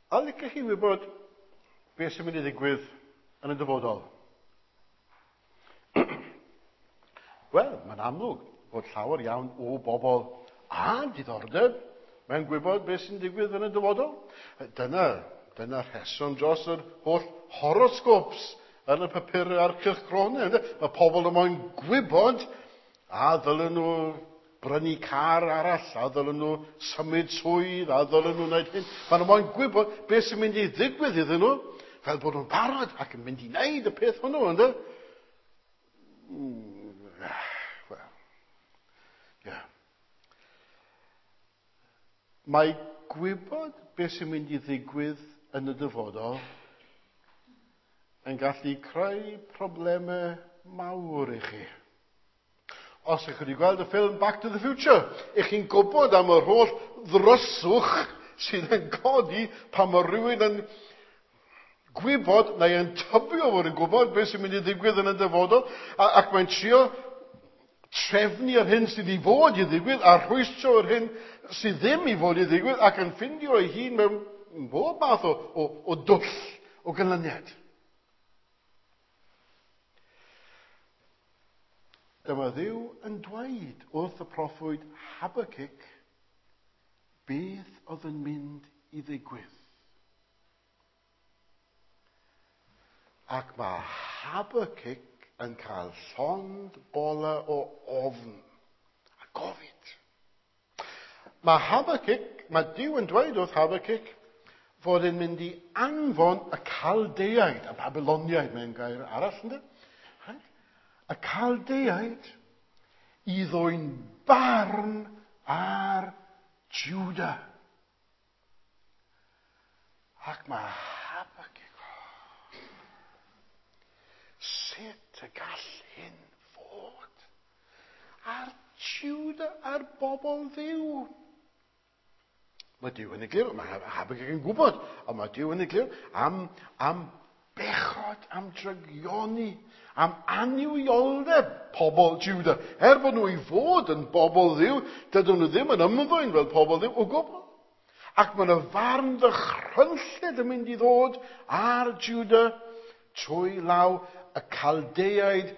A licech chi wybod beth sy'n mynd i ddigwydd yn y dyfodol? Wel, mae'n amlwg bod llawer iawn o bobl a diddordeb mewn gwybod beth sy'n digwydd yn y dyfodol. Dyna, dyna rheswm dros yr holl horoscopes yn y papurau a'r cylchgronau. Mae pobl yn moyn gwybod a ddylen nhw brynu car arall, a ddylen nhw symud swydd, a ddylen nhw wneud hyn. Maen nhw moyn gwybod beth sy'n mynd i ddigwydd iddyn nhw, fel bod nhw'n barod ac yn mynd i wneud y peth hwnnw, ynddo? Wel, ie. Yeah. Mae gwybod beth sy'n mynd i ddigwydd yn y dyfodol yn gallu creu problemau mawr i chi. Os ych chi wedi gweld y ffilm Back to the Future, ych chi'n gwybod am yr holl ddryswch sydd yn codi pan mae rhywun yn gwybod neu yn tybio fod yn gwybod beth sy'n mynd i ddigwydd yn y dyfodol, ac mae'n trio trefnu yr hyn sydd i fod i ddigwydd a rhwystro yr hyn sydd ddim i fod i ddigwydd ac yn ffindio ei hun mewn bob math o dwll o ganlyniad. Dyma Dduw yn dweud wrth y proffwyd Habacuc beth oedd yn mynd i ddigwydd. Ac mae Habacuc yn cael llond bola o ofn a gofid. Mae Habacuc, mae Duw yn dweud wrth Habacuc fod e'n mynd i anfon y Caldeaid, y Babyloniaid mewn gair arall, ynddo? Right? Y Caldeaid i ddwyn barn ar Juda. Ac mae Habacuc, oh, sut y gall hyn fod ar Juda, ar bobl Dduw? Mae Duw yn egluro, mae Habacuc yn gwybod, ond mae Duw yn egluro am bechod, am drygioni, am annuwioldeb pobl Juda. Er bod nhw i fod yn bobl Dduw, dydyn nhw ddim yn ymddwyn fel pobl Dduw o gwbl. Ac mae yna farn ddychrynllyd yn mynd i ddod ar Juda trwy law y Caldeaid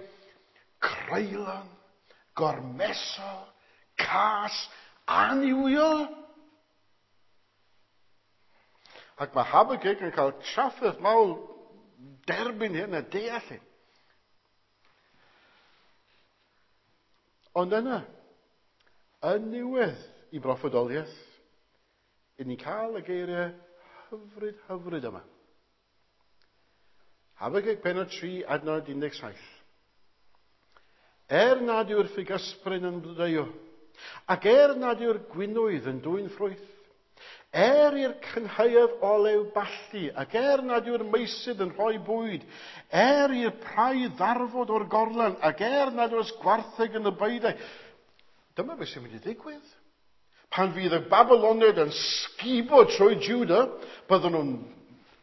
creulon, gormesol, cas, annuwiol. Ac mae Habacuc yn cael trafferth mawr derbyn hyn a deall hyn. Ond yna, yn niwedd i broffwydoliaeth, i ni'n cael y geiriau hyfryd, hyfryd yma. Habacuc pennod 3, adnod 17. Er nad yw'r ffigysbryn yn blodeuo, ac er nad yw'r gwinwydd yn dwyn ffrwyth, er i'r cynhaeaf olew ballu, ac er nad yw'r meysydd yn rhoi bwyd, er i'r praidd ddarfod o'r gorlan, ac er nad oes gwartheg yn y beudai. Dyma beth sy'n mynd i ddigwydd. Pan fydd y Babyloniaid yn sgubo trwy Juda, byddwn nhw'n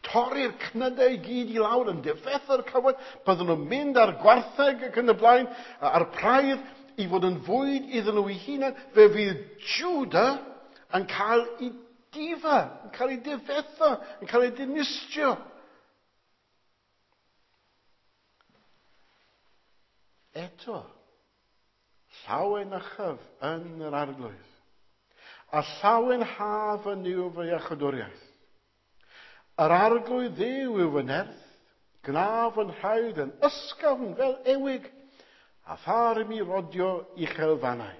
torri'r cnydau i gyd i lawr, yn difetha'r cywain, byddwn nhw'n mynd ar gwartheg ac yn y blaen, a'r praidd i fod yn fwyd iddyn nhw eu hunain. Fe fydd Juda yn cael ei difa, yn cael ei difetha, yn cael ei dinistrio. Eto, llawenychaf yn yr Arglwydd, a llawenhaf yn Nuw fy iachawdwriaeth. Yr Arglwydd Dduw yw fy nerth, gwna fy nhraed yn ysgafn fel ewig, a phar i mi rodio uchelfannau.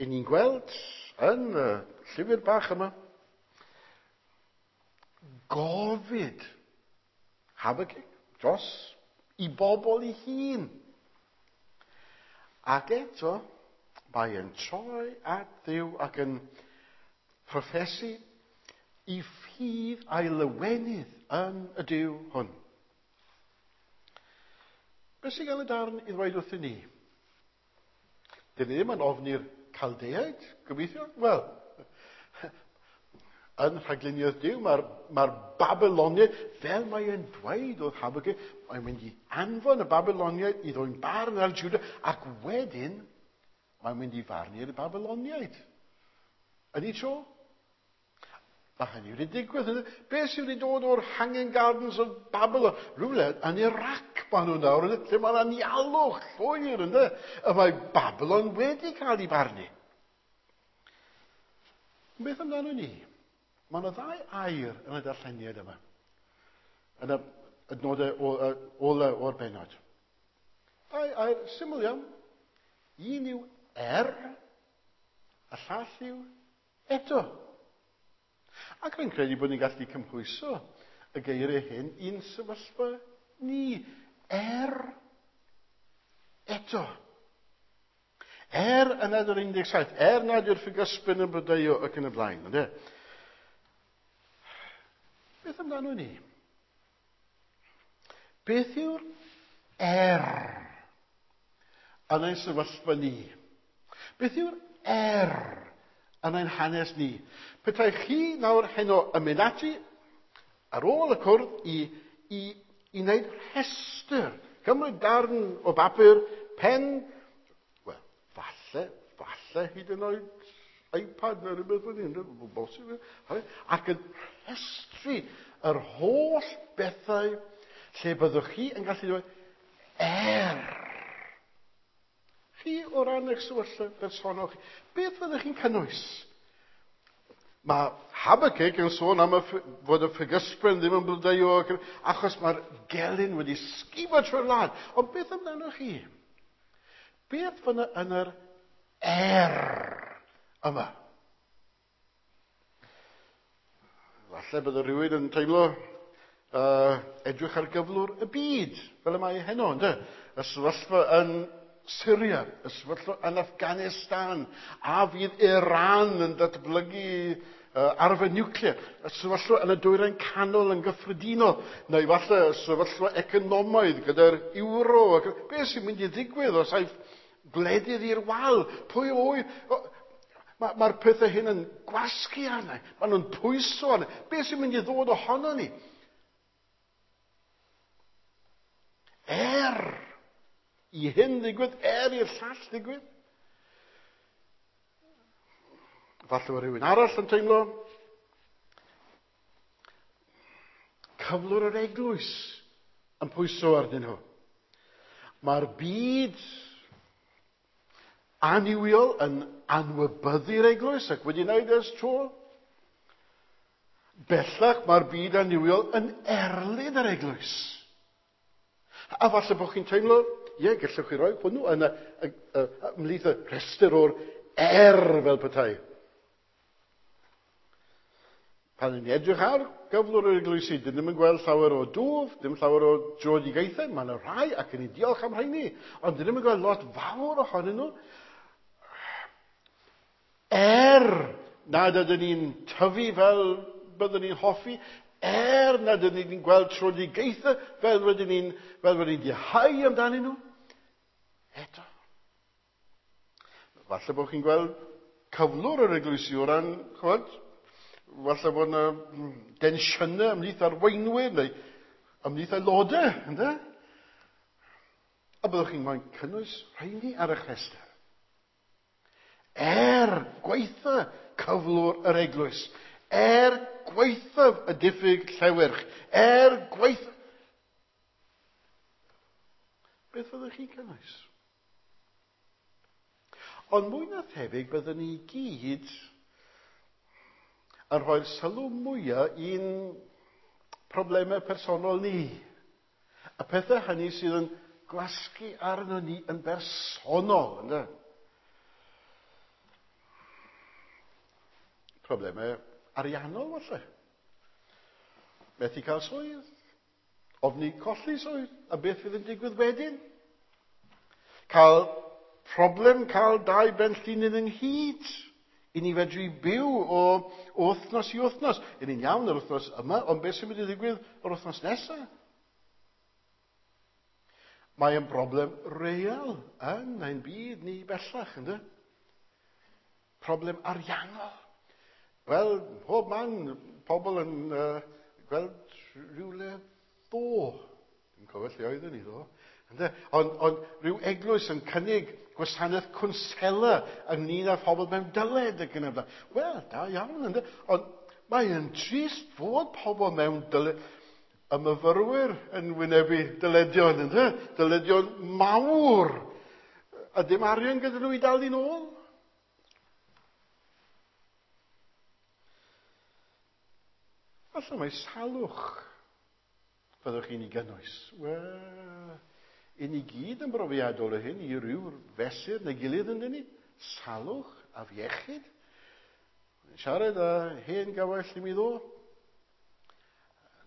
I ni'n gweld yn y llyfr bach yma, gofid Habacuc dros i bobl ei hun. Ac eto, mae e'n troi at Dduw ac yn proffesu i ffydd a'i lawenydd yn y Duw hwn. Beth sy'n gael y darn i ddweud wrthyn ni? Dyn ni ddim yn ofni'r Caldeaid, gobeithio? Wel, yn rhagluniaeth Duw, mae'r Babyloniaid, fel mae e'n dweud wrth Habacuc, mae'n mynd i anfon y Babyloniaid i ddwyn barn ar Juda, ac wedyn mae'n mynd i farnu'r Babyloniaid. Yn ei tro. Mae hynny wedi digwydd. Beth sydd wedi dod o'r Hanging Gardens of Babylon? Rhywle yn Iraq maen nhw nawr, lle mae'n anialwch llwyr, ynddo? Y mae Babylon wedi cael ei barnu. Beth amdano ni? Mae yna ddau air yn y darlleniad yma. Yn y adnodau ola o'r bennod. Dau air syml iawn. Un yw er, a llall yw eto. Ac rwy'n credu bod ni'n gallu cymhwyso y geiriau hyn i'n sefyllfa ni. Er eto. Er yn adnod 17, er nad yw'r ffigysbyn yn blodeuo ac yn y blaen. Ynde? Beth amdano ni? Beth yw'r er yn ein sefyllfa ni? Beth yw'r er yn ein hanes ni? Petai chi nawr heno yn mynd ati ar ôl y cwrdd i wneud rhestr, cymryd darn o bapur, pen, wel, falle hyd yn oed iPad neu rhywbeth fel hyn, bosib, ac yn rhestru yr holl bethau lle byddwch chi yn gallu dweud, er. Chi o ran eich sefyllfa bersonol chi, beth fyddwch chi'n cynnwys? Mae Habakkuk yn sôn am fod y ffigysbren ddim yn blodeuo, achos mae'r gelyn wedi sgubo trwy'r wlad. Ond beth amdano chi? Beth fyna yn yr er yma? Falle bydde rhywun yn teimlo edrych ar gyflwr y byd, fel y mae heno, ynde? Y sefyllfa yn Syria, y sefyllfa yn Afghanistan, a fydd Iran yn datblygu arfer niwclear, y sefyllfa yn y Dwyrain Canol yn gyffredinol, neu falle y sefyllfa economaidd gyda'r euro, ac beth sy'n mynd i ddigwydd os aiff gwledydd i'r wal, pwy oedd? Mae'r pethau hyn yn gwasgu arna, maen nhw'n pwyso arna. Beth sy'n mynd i ddod ohono ni? Er i hyn ddigwydd, er i'r llall ddigwydd. Falle bod rhywun arall yn teimlo cyflwr yr eglwys yn pwyso arnyn nhw. Mae'r byd annuwiol yn anwybyddu'r eglwys ac wedi wneud ers tro. Bellach mae'r byd annuwiol yn erlyn yr eglwys. A falle bod chi'n teimlo, ie, gallwch chi roi hwnnw yn ymhlith y rhestr o'r er fel petai. Pan ni'n edrych ar gyflwr yr eglwysi, dyn ddim yn gweld llawer o dwf, dim llawer o dröedigaethau, mae yna rhai ac yn ni diolch am rheini, ond dyn ddim yn gweld lot fawr ohonyn nhw. Er nad ydyn ni'n tyfu fel byddwn ni'n hoffi, er nad ydyn ni'n gweld tröedigaethau fel rydyn ni'n dihau amdanyn nhw, eto. Falle bod chi'n gweld cyflwr yr eglwysi o ran, ch'mod, falle bod yna densiynau ymhlith arweinwyr neu ymhlith aelodau, ynde? A byddwch chi'n moyn cynnwys rheini ar eich rhestr. Er gwaetha cyflwr yr eglwys, er gwaethaf y diffyg llewyrch, er gwaetha... Beth fyddwch chi'n cynnwys? Ond mwy na thebyg byddwn ni gyd yn rhoi'r sylw mwyaf i'n problemau personol ni. Y pethau hynny sydd yn gwasgu arno ni yn bersonol, ynde? Problemau ariannol, falle. Methu cael swydd, ofni colli swydd, a beth fydd yn digwydd wedyn? Cael problem cael dau ben llinyn ynghyd, i ni fedru byw o wythnos i wythnos. I ni'n iawn yr wythnos yma, ond beth sy'n mynd i ddigwydd yr wythnos nesaf? Mae yn broblem real yn ein byd ni bellach, ynddo? Problem ariannol. Wel, pob man, pobl yn gweld rhywle ddo. Dwi'n cofio lle oeddwn ni ddo. Ynde? Ond rhyw eglwys yn cynnig gwasanaeth cwnsela ynglyn â phobl mewn dyled ac yn y blaen. Wel, da iawn, ynde? Ond Mae'n trist fod pobl mewn dyle... Y myfyrwyr yn wynebu dyledion, ynddo? Dyledion mawr. A dim arian gyda nhw i dal i'n ôl. Falle mae salwch fyddwch chi'n ei gynnwys. Wel, i ni gyd yn brofiadol o hyn i ryw fesur neu gilydd yn ni. Salwch, afiechyd. Siarad â hen gawell i mi ddo.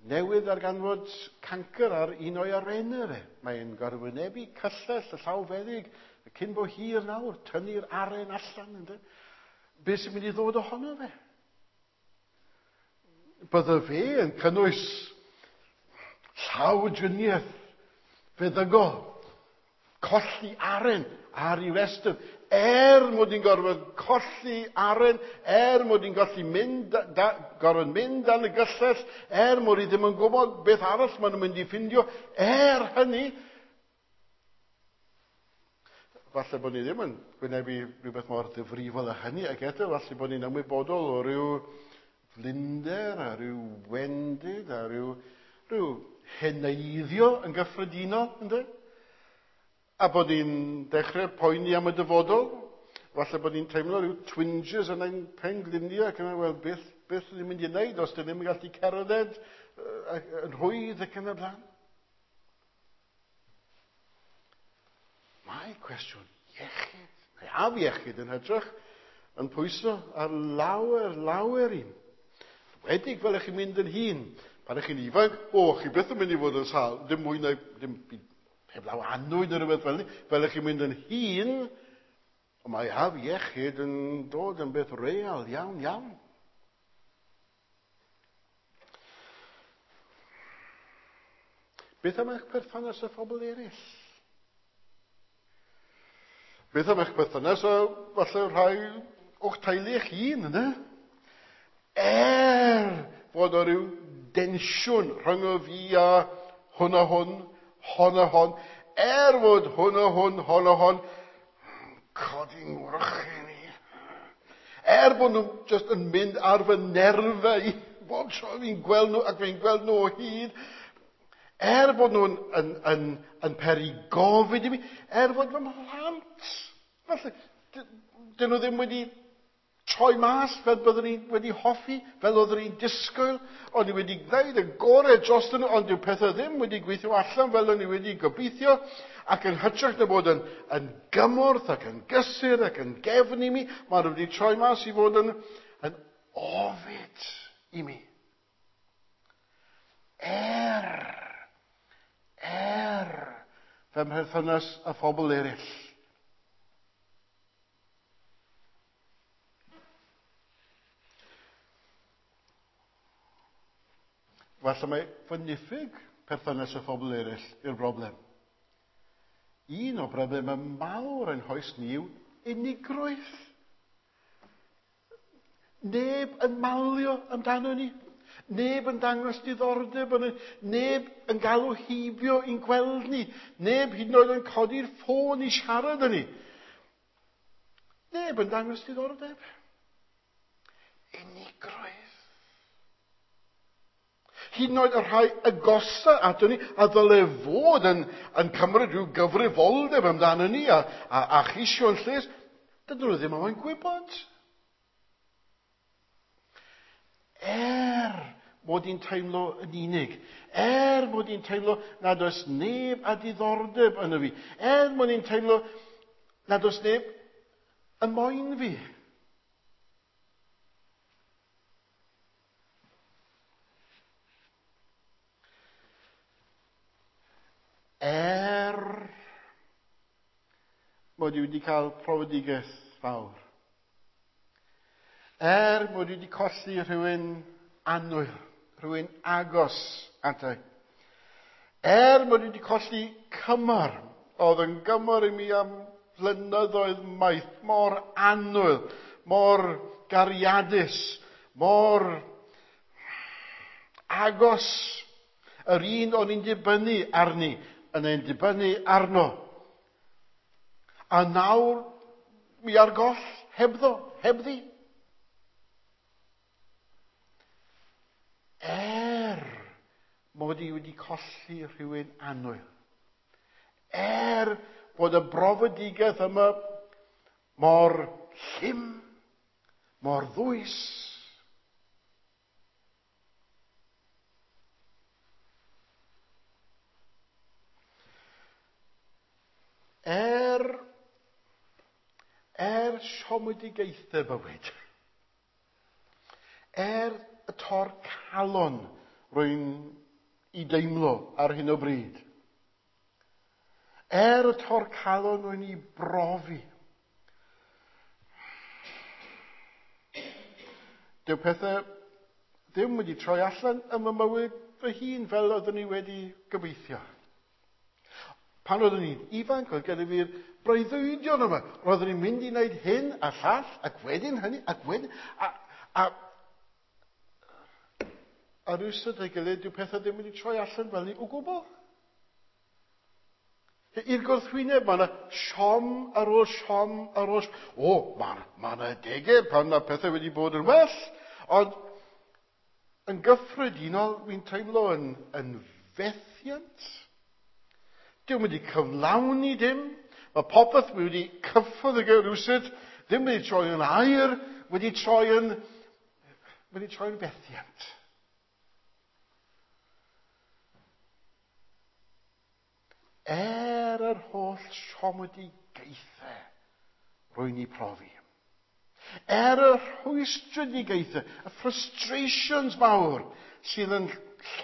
Newydd darganfod cancr ar un o'i arennau fe. Mae'n gorwynebu cyllell y llawfeddyg cyn bo hir nawr, tynnu'r aren allan. Ynddo? Be sy'n mynd i ddod ohono fe? Bydde fe yn cynnwys llawdriniaeth feddygol, colli aren ar ei restr. Mod i'n gorfod colli aren, mod i'n gallu mynd, gorfod mynd dan y gyllell, mod i ddim yn gwybod beth arall maen nhw'n mynd i ffindio, hynny, falle bod ni ddim yn gwynebu rhywbeth mor ddifrifol â hynny, ac eto falle bod ni'n ymwybodol o ryw flinder a ryw wendid a ryw heneiddio yn gyffredinol, ynddo? A bod ni'n dechrau poeni am y dyfodol. Falle bod ni'n teimlo rhyw twinges yn ein pengliniau ac yna, wel, beth ni'n mynd i wneud os dyn ni'n gallu cerdded yn rhwydd ac yn y blaen. Mae cwestiwn iechyd, neu afiechyd yn hytrach, yn pwyso ar lawer, lawer un. Wedig fel ych chi'n mynd yn hŷn. Pan ych chi'n ifanc, chi byth yn mynd i fod yn sâl, dim mwy na, dim heblaw annwyd neu rhywbeth fel ni. Fel ych chi'n mynd yn hŷn, ond mae afiechyd yn dod yn beth real, iawn, iawn. Beth am eich perthynas â phobl eraill? Beth am eich perthynas â falle rhai o'ch teulu eich hun, yna? Fod o ryw densiwn rhwng y fi a hwn a hwn, hon a hon, fod hwn a hwn, hon a hon, codi'n wrychyn i. Bod nhw just yn mynd ar fy nerfau i, bob tro fi'n gweld nhw ac fi'n gweld nhw o hyd, bod nhw'n yn peri gofid i mi, fod fy mhlant, falle, dyn nhw ddim wedi troi mas fel byddwn ni wedi hoffi, fel oeddwn ni'n disgwyl, ond ni wedi gwneud y gorau dros nhw, ond dyw pethau ddim wedi gweithio allan fel o'n i wedi gobeithio, ac yn hytrach na bod yn gymorth ac yn gysur ac yn gefn i mi, maen nhw wedi troi mas i fod yn ofid i mi. Fy mherthynas â phobl eraill. Falle mae fy niffyg perthynas â phobl eraill yw'r broblem. Un o broblemau mawr yn hoes ni yw unigrwydd. Neb yn malio amdano ni. Neb yn dangos diddordeb yn ni. Neb yn galw heibio i'n gweld ni. Neb hyd yn oed yn codi'r ffôn i siarad â ni. Neb yn dangos diddordeb. Unigrwydd. Hyd yn oed y rhai agosa ato ni, a ddyle fod yn cymryd rhyw gyfrifoldeb amdano ni a cheisio'n lles, dydyn nhw ddim yn gwybod. Mod i'n teimlo yn unig, mod i'n teimlo nad oes neb a diddordeb yno fi, mod i'n teimlo nad oes neb yn moyn fi. Mod i wedi cael profedigaeth fawr. Mod i wedi colli rhywun annwyl, rhywun agos ata i. Mod i wedi colli cymar, oedd yn gymar i mi am flynyddoedd maith, mor annwyl, mor gariadus, mor agos. Yr un o'n i'n dibynnu arni, yn ein dibynnu arno. A nawr, mi ar goll, hebddo, hebddi. Er mod i wedi colli rhywun annwyl. Er bod y brofedigaeth yma mor llym, mor ddwys. Er siomedigaethau bywyd, er y tor calon rwy'n i deimlo ar hyn o bryd, er y tor calon rwy'n i brofi, dyw pethau ddim wedi troi allan ym mywyd fy hun fel oeddwn i wedi gobeithio. Pan oeddwn i'n ifanc, oedd gen i fi'r breuddwydion yma. Roeddwn i'n mynd i wneud hyn a llall, ac wedyn hynny, ac wedyn... A rywsut ei gilydd, dyw pethau ddim wedi troi allan fel ni o gwbl. I'r gwrthwyneb, mae yna siom ar ôl siom ar ôl siom. O, mae yna adegau pan mae pethau wedi bod yn well, ond yn gyffredinol, wy'n teimlo yn fethiant. Dyw'n wedi cyflawni dim. Mae popeth wedi cyffwrdd ag e rywsut, ddim wedi troi yn aur, wedi troi yn fethiant. Er yr holl siomedigaethau rwy'n ei profi. Er y rhwystredigaethau, y frustrations mawr sydd yn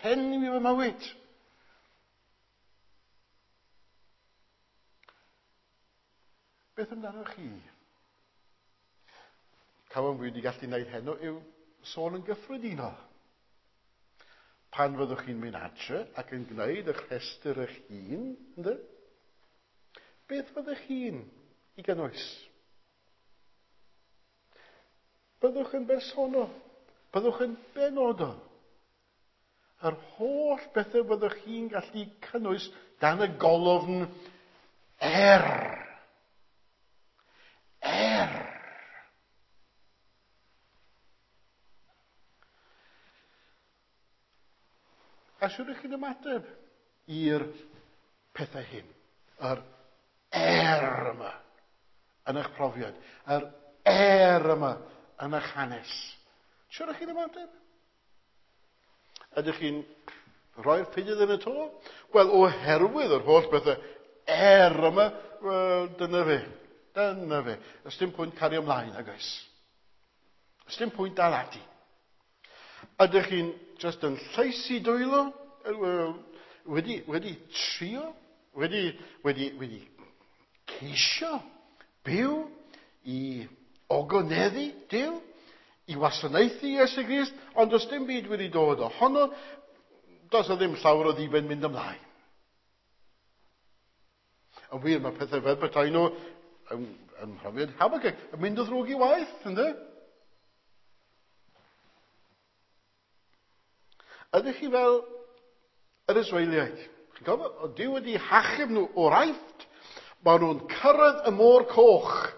llenwi fy mywyd. Beth amdano chi? Cafon fi wedi gallu gwneud heno yw sôn yn gyffredinol. Pan fyddwch chi'n mynd adre ac yn gwneud eich rhestr eich hun, ynddo? Beth fyddwch chi'n i gynnwys? Byddwch yn bersonol, byddwch yn benodol. Yr holl bethau byddwch chi'n gallu cynnwys dan y golofn er. Er. A siwr ych chi'n ymateb i'r pethau hyn? Yr er yma yn eich profiad. Yr er yma yn eich hanes. Siwr ych chi'n ymateb? Ydych chi'n rhoi'r ffidydd yn y to? Wel, oherwydd yr holl bethau er yma, wel, dyna fe. Dyna fe. Ys dim pwynt cario ymlaen, ag oes. Ys dim pwynt dal ati. Ydych chi'n just yn llaesu dwylo, wedi trio, wedi ceisio byw i ogoneddu Duw, i wasanaethu Iesu Grist, ond does dim byd wedi dod ohono, does o ddim llawer o ddiben mynd ymlaen. Yn wir, mae pethau fel petai nhw ym mhrofiad Habakkuk yn mynd o ddrwg i waith, ynddo? Ydych chi fel yr Israeliaid? Chi'n cofio? O Duw wedi hachub nhw o'r Aifft. Maen nhw'n cyrraedd y môr coch.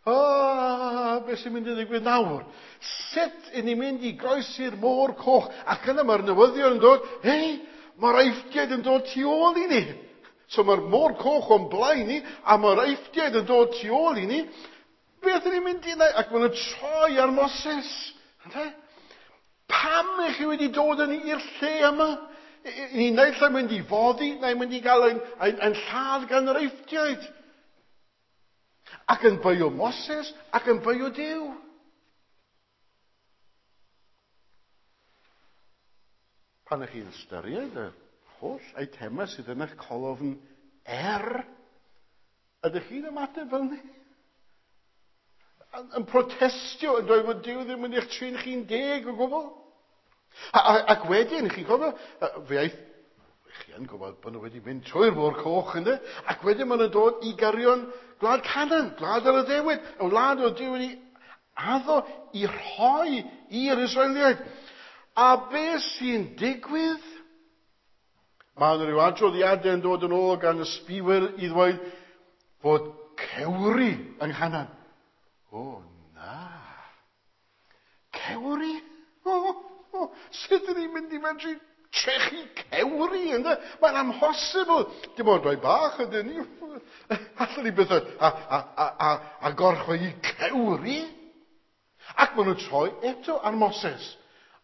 Beth sy'n mynd i ddigwydd nawr? Sut i ni'n mynd i groesi'r môr coch? Ac yna mae'r newyddion yn dod, hei, mae'r Eifftiaid yn dod tu ôl i ni. So mae'r môr coch o'n blaen ni, a mae'r Eifftiaid yn dod tu ôl i ni. Beth ydyn ni'n mynd i wneud? Ac maen nhw'n troi ar Moses. Ynde? Pam ych chi wedi dod yn i'r lle yma? Ni naill ai mynd i foddi, neu mynd i gael ein lladd gan yr Eifftiaid. Ac yn beio Moses, ac yn beio Duw. Pan ych chi'n ystyried y holl eitemau sydd yn eich colofn er, ydych chi'n ymateb fel ni? Yn protestio, yn dweud fod Duw ddim yn eich trin chi'n deg o gwbl. Ac wedyn, chi'n cofio, fe aeth, chi yn gwybod bod nhw wedi mynd trwy'r môr coch, ynddo? Ac wedyn maen nhw'n dod i gyrion gwlad Canaan, gwlad yr addewid, y wlad oedd Duw wedi addo i rhoi i'r Israeliaid. A beth sy'n digwydd? Mae yna rhyw adroddiadau yn dod yn ôl gan y sbiwyr i ddweud fod cewri yng Nghanan. O, na. Cewri? O, o. Sut ydyn ni'n mynd i medru trechu cewri, ynddo? Mae'n amhosibl. Dim ond rhai bach ydyn ni. Allwn ni byth a gorchfygu cewri. Ac maen nhw'n troi eto ar Moses.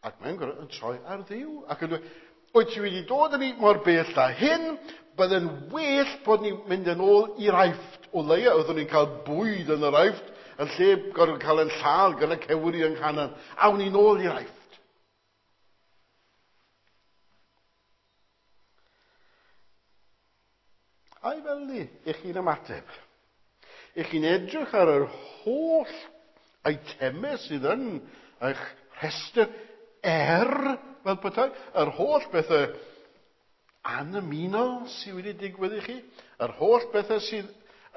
Ac mae'n gorfod yn troi ar Dduw. Ac yn dweud, wyt ti wedi dod â ni mor bell â hyn, bydde'n well bod ni'n mynd yn ôl i'r Aifft. O leia, oeddwn ni'n cael bwyd yn yr Aifft, yn lle gorfod cael ein lladd gan y cewri yng Nghanan. Awn ni'n ôl i'r Aifft. Ai fel ni, ych chi'n ymateb? Ych chi'n edrych ar yr holl eitemau sydd yn eich rhestr fel petai, yr holl bethau anymunol sydd wedi digwydd i chi, yr holl bethau sydd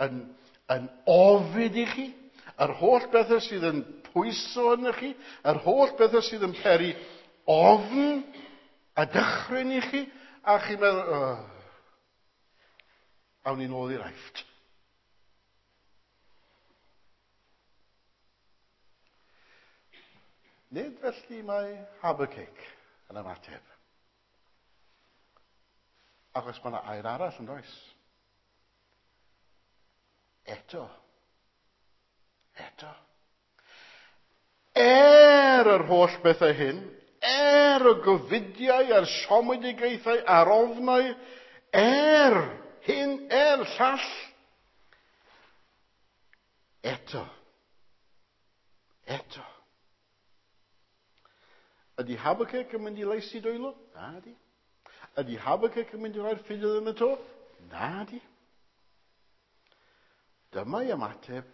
yn ofid i chi, yr holl bethau sydd yn pwyso arnoch chi, yr holl bethau sydd yn peri ofn a dychryn i chi, a chi'n meddwl, oh, awn ni'n ôl i'r Aifft. Nid felly mae Habakkuk yn ymateb. Achos mae yna air arall yn does. Eto. Eto. Er yr holl bethau hyn, er y gofidiau a'r siomedigaethau a'r ofnau, er hyn, er llall, eto. Eto. Ydy Habakkuk yn mynd i laesu dwylo? Na di. Ydy Habakkuk yn mynd i roi'r ffidil yn y to? Na di. Dyma ei ymateb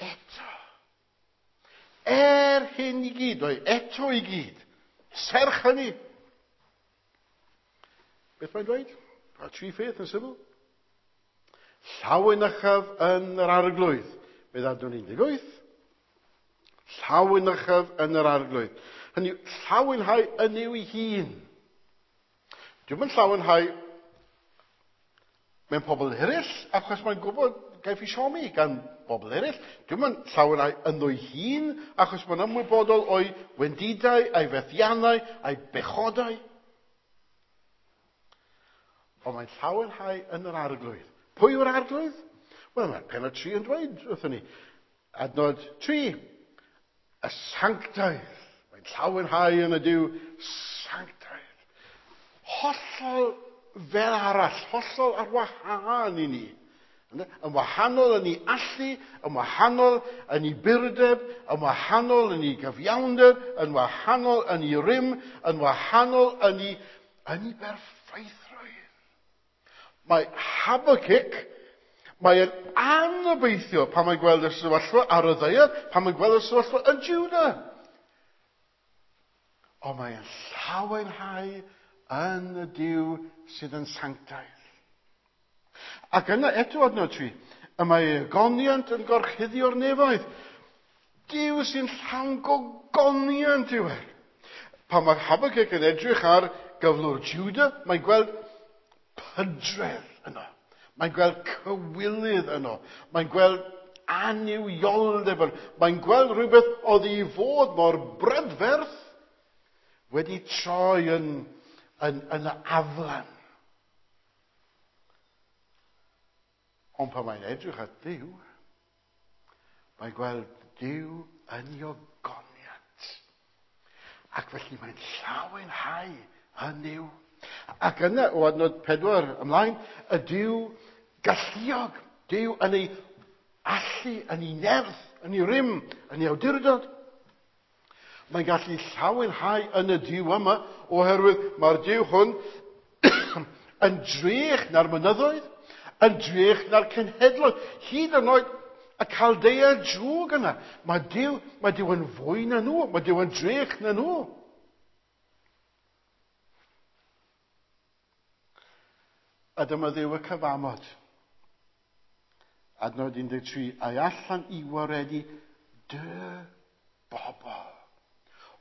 eto. Er hyn i gyd, o'i eto i gyd. Serch hynny. Beth mae'n dweud? Mae tri pheth yn syml. Llawenychaf yn yr arglwydd. Bydd adnod 18. Llawenychaf yn yr arglwydd. Hynny yw, llawenhau yn yw ei hun. Dwi'm yn llawenhau mewn pobl eraill, achos mae'n gwybod gaiff ei siomi gan bobl eraill. Dwi'm yn llawenhau ynddo'i hun, achos mae'n ymwybodol o'i wendidau, a'i fethiannau, a'i bechodau. Ond mae'n llawenhau yn yr arglwydd. Pwy yw'r arglwydd? Wel, mae pennod 3 yn dweud wrthon ni. Adnod 3. Y sanctaidd. Mae'n llawenhau yn y Duw sanctaidd. Hollol fel arall, hollol ar wahân i ni. Yn wahanol yn ei allu, yn wahanol yn ei burdeb, yn wahanol yn ei gyfiawnder, yn wahanol yn ei rym, yn wahanol yn ei berffeithrwydd. Mae Habakkuk, mae'n anobeithio pan mae'n gweld y sefyllfa ar y ddaear, pan mae'n gweld y sefyllfa yn Juda. Ond mae'n llawenhau yn y Duw sydd yn sanctaidd. Ac yna eto adnod 3, y mae ogoniant yn gorchuddio'r nefoedd. Duw sy'n llawn gogoniant yw e. Pan mae Habakkuk yn edrych ar gyflwr Juda, mae'n gweld pydredd yno. Mae'n gweld cywilydd yno. Mae'n gweld annuwioldeb yno. Mae'n gweld rhywbeth oedd i fod mor brydferth wedi troi yn aflan. Ond pan mae'n edrych at Dduw, mae'n gweld Duw yn ei ogoniant. Ac felly mae'n llawenhau yn Nuw. Ac yna, o adnod 4 ymlaen, y Duw galluog, Duw yn ei allu, yn ei nerth, yn ei rym, yn ei awdurdod. Mae'n gallu llawenhau yn y Duw yma, oherwydd mae'r Duw hwn yn drech na'r mynyddoedd, yn drech na'r cenhedloedd, hyd yn oed y Caldea drwg yna. Mae Duw yn fwy na nhw, mae Duw yn drech na nhw. A dyma Dduw y cyfamod. Adnod 13, a'i allan i waredu dy bobl.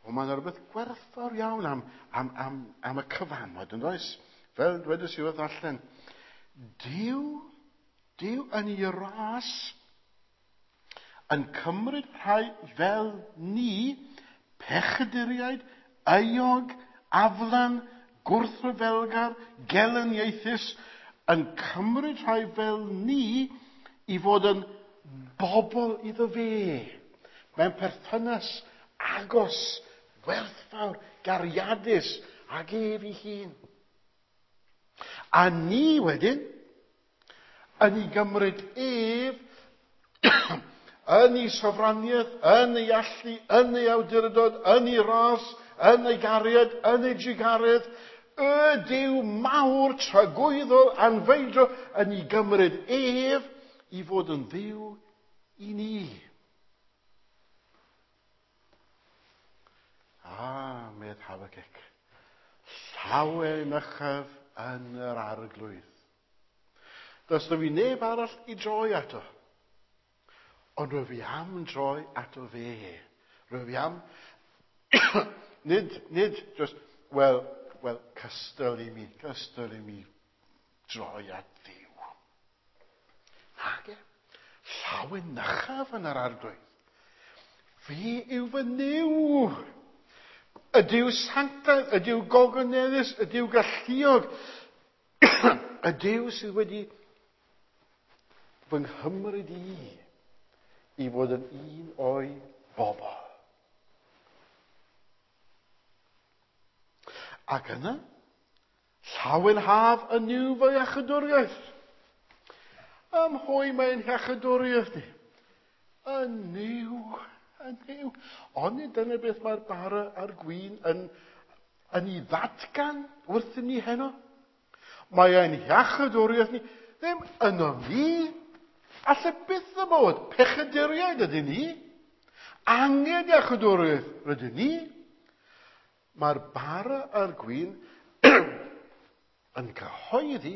O, mae'n rhywbeth gwerthfawr iawn am y cyfamod, yn does? Fel dwedais i wrth allan, Duw yn ei ras yn cymryd rhai fel ni, pechaduriaid, euog, aflan, gwrthryfelgar, gelyniaethus, yn cymryd rhai fel ni i fod yn bobl iddo fe. Mewn perthynas agos, werthfawr, gariadus ag ef ei hun. A ni wedyn, yn ei gymryd ef, yn ei sofraniaeth, yn ei allu, yn ei awdurdod, yn ei ras, yn ei gariad, yn ei drugaredd, y Duw mawr tragwyddol anfeidrol yn ei gymryd ef i fod yn Dduw i ni. A, medd Habacuc, llawenychaf yn yr Arglwydd. Does 'na fi neb arall i droi ato. Ond rwyf fi am droi ato fe. Rwyf fi am... Nid just, wel, cystal i mi, cystal i mi droi at Dduw. Nage, llawenychaf yn yr Arglwydd. Fe yw fy Nuw. Y Duw sanctaidd, y Duw gogoneddus, y Duw galluog. Y Duw sydd wedi fy nghymryd i i fod yn un o'i bobl. Ac yna, llawenhaf yn Nuw fy iachydwriaeth. Ym mhwy mae'n iachydwriaeth ni? Yn Nuw, yn Nuw. Onid dyna beth mae'r bara a'r gwin yn ei ddatgan wrthym ni heno? Mae ein hiachydwriaeth ni ddim yno ni. Alle byth y bod. Pechaduriaid ydyn ni. Angen iachydwriaeth rydyn ni. Mae'r bara a'r gwin yn cyhoeddi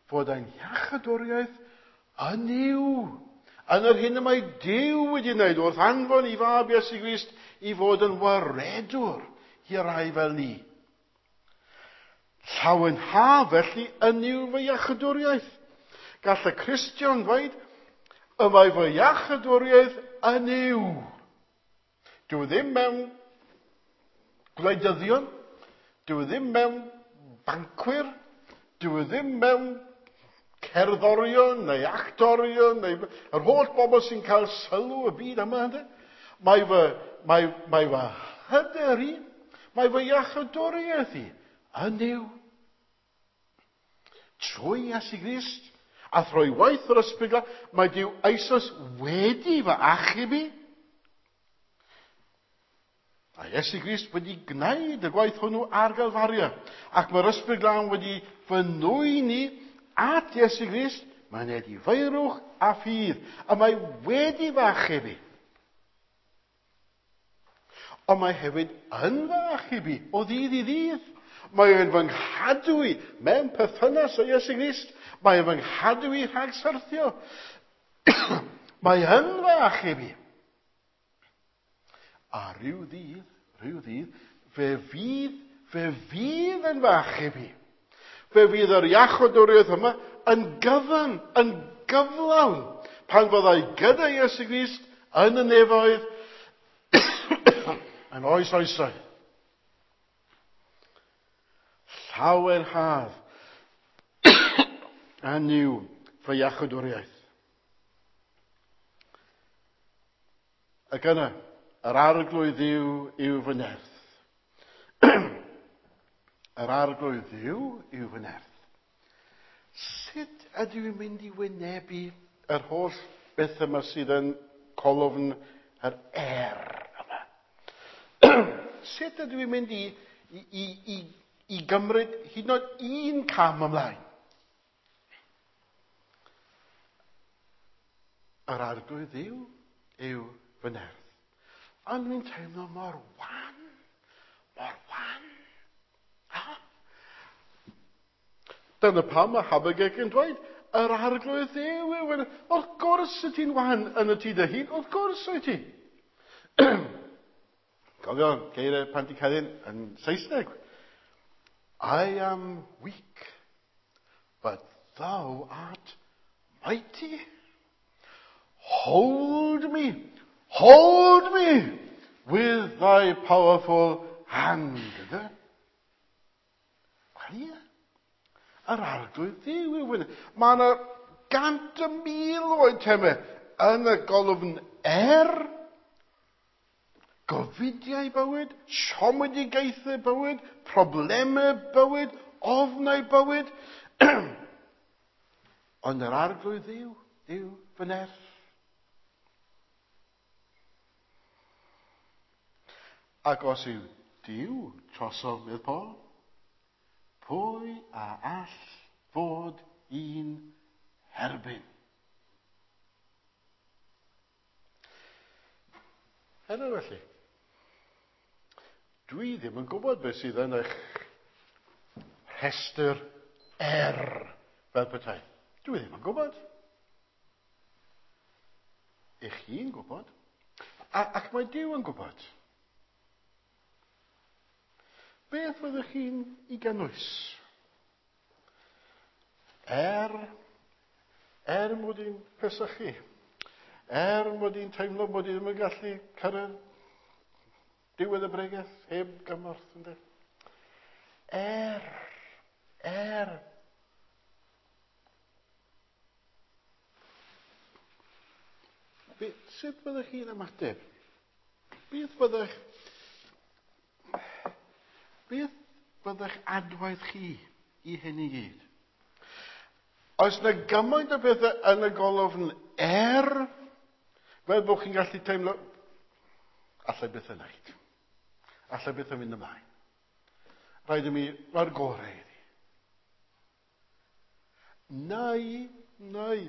fod ein hiachydwriaeth yn Nuw. Yn yr hyn y mae Duw wedi wneud wrth anfon i fab Iesu Grist i fod yn waredwr i rai fel ni. Llawenha felly yn Nuw fy iachydwriaeth. Gall y Cristion ddweud, y mae fy iachydwriaeth yn Nuw. Dyw ddim mewn gwleidyddion, dyw ddim mewn bancwyr, dyw ddim mewn cerddorion neu actorion, neu yr holl bobl sy'n cael sylw y byd yma. Ynddo? Mae fy hyder i, mae fy iachydwriaeth i yn Nuw. Trwy Iesu Grist, a thrwy waith yr Ysbryd Glân, mae Duw eisoes wedi fy achub i. A Iesu Grist wedi gwneud y gwaith hwnnw ar Galfaria. Ac mae'r Ysbryd Glân wedi fy nwyn i at Iesu Grist, mae'n edifeirwch a ffydd, a mae wedi fy achub i. Ond mae hefyd yn fy achub i o ddydd i ddydd. Mae e'n fy nghadw i mewn perthynas â Iesu Grist. Mae e'n fy nghadw i rhag syrthio. Mae yn fy achub i. A rhyw ddydd, fe fydd yn fy achub i. Fe fydd yr iachydwriaeth yma yn gyfan, yn gyflawn, pan fyddai gyda Iesu Grist yn y nefoedd yn oes oesau. Llawer haf a Nuw fy iachydwriaeth. Ac yna, yr Arglwydd Dduw yw fy nerth. Yr Arglwydd Dduw yw fy nerth. Sut ydw i'n mynd i wynebu yr holl beth yma sydd yn colofn yr er yma? Sut ydw i'n mynd i gymryd hyd yn oed un cam ymlaen? Yr Arglwydd Dduw yw fy nerth. Ond dwi'n teimlo mor wan, mor wan. Dyna pam mae Habacuc yn dweud, yr Arglwydd Dduw yw fy nerth. Wrth gwrs y ti'n wan yn y tŷ dy hun, wrth gwrs wyt ti. Cofio geiriau Pantycelyn yn Saesneg. I am weak, but thou art mighty. Hold me with thy powerful hand, ydy? Wel ie. Yr Arglwydd Dduw yw hynny. Mae yna 100,000 o eitemau yn y golofn er, gofidiau bywyd, siomedigaethau bywyd, problemau bywyd, ofnau bywyd. Ond yr Arglwydd Dduw yw fy nerth. Ac os yw Duw trosodd, medd Paul, pwy a all fod un herbyn? Heno felly, dwi ddim yn gwybod beth sydd yn eich rhestr er fel petai. Dwi ddim yn gwybod. Ych chi'n gwybod. Ac mae Duw yn gwybod. Beth fyddwch chi'n ei gynnwys? Er mod i'n pesychu, er mod i'n teimlo mod i ddim yn gallu cyrraedd diwedd y bregeth heb gymorth, ynddo? Er. Sut fyddwch chi'n ymateb? Beth fyddech adwaith chi i hyn i gyd? Oes yna gymaint o bethau yn y golofn er, fel bod chi'n gallu teimlo, allai byth yn wneud. Allai byth yn mynd ymlaen. Rhaid i mi roi'r gorau iddi. Neu,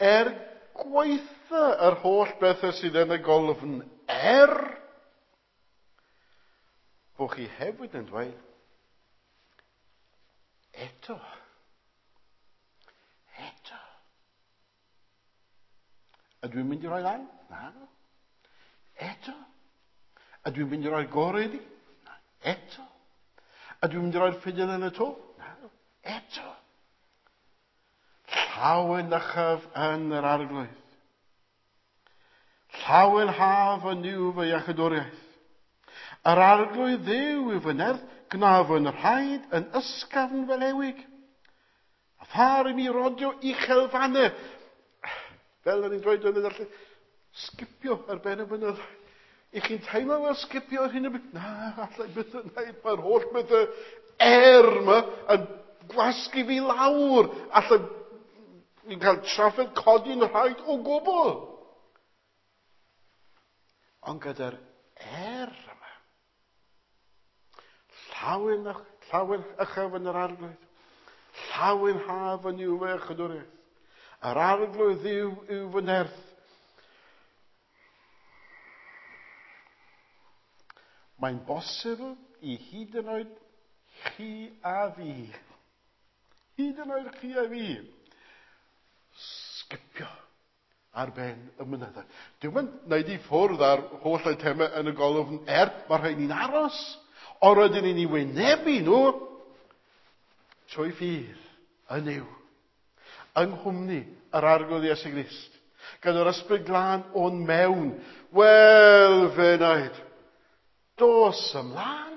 er gwaetha yr holl bethau sydd yn y golofn er, bod chi hefyd yn dweud, eto. Ydw i'n mynd i roi lan? Na. Eto. Ydw i'n mynd i roi'r gorau iddi? Na. Eto. Ydw i'n mynd i roi'r ffidil yn y to? Na. Eto. Llawenychaf yn yr Arglwydd. Llawenhaf yn yw fy iachydwriaeth. Yr Arglwydd Dduw yw fy nerth, gwnaf yn rhaid yn ysgafn fel ewig. A phar i mi rodio uchelfannau. Fel o'n i'n dweud yn y darllen, sgipio ar ben y mynydd. I chi'n teimlo fel sgipio ar hyn o bryd? Na, allai byth yn wneud. Mae'r holl bethau er yma yn gwasgu fi lawr. Allai ni'n cael trafferth codi'n rhaid o gwbl. Ond gyda'r er yma, llawen uchaf yn yr Arglwydd, llawen haf yn yw fy iachydwriaeth. Yr Arglwydd Dduw yw fy nerth. Mae'n bosibl i hyd yn oed chi a fi, hyd yn oed chi a fi, sgipio ar ben y mynyddoedd. Dwi'm yn wneud i ffwrdd ar holl eitemau yn y golofn er, mae rhaid ni'n aros, ond rydyn ni'n ei wynebu nhw trwy ffydd yn Nuw, yng nghwmni yr Arglwydd Iesu Grist, gyda'r Ysbryd Glân o'n mewn. Wel, fe wnaed, dos ymlaen.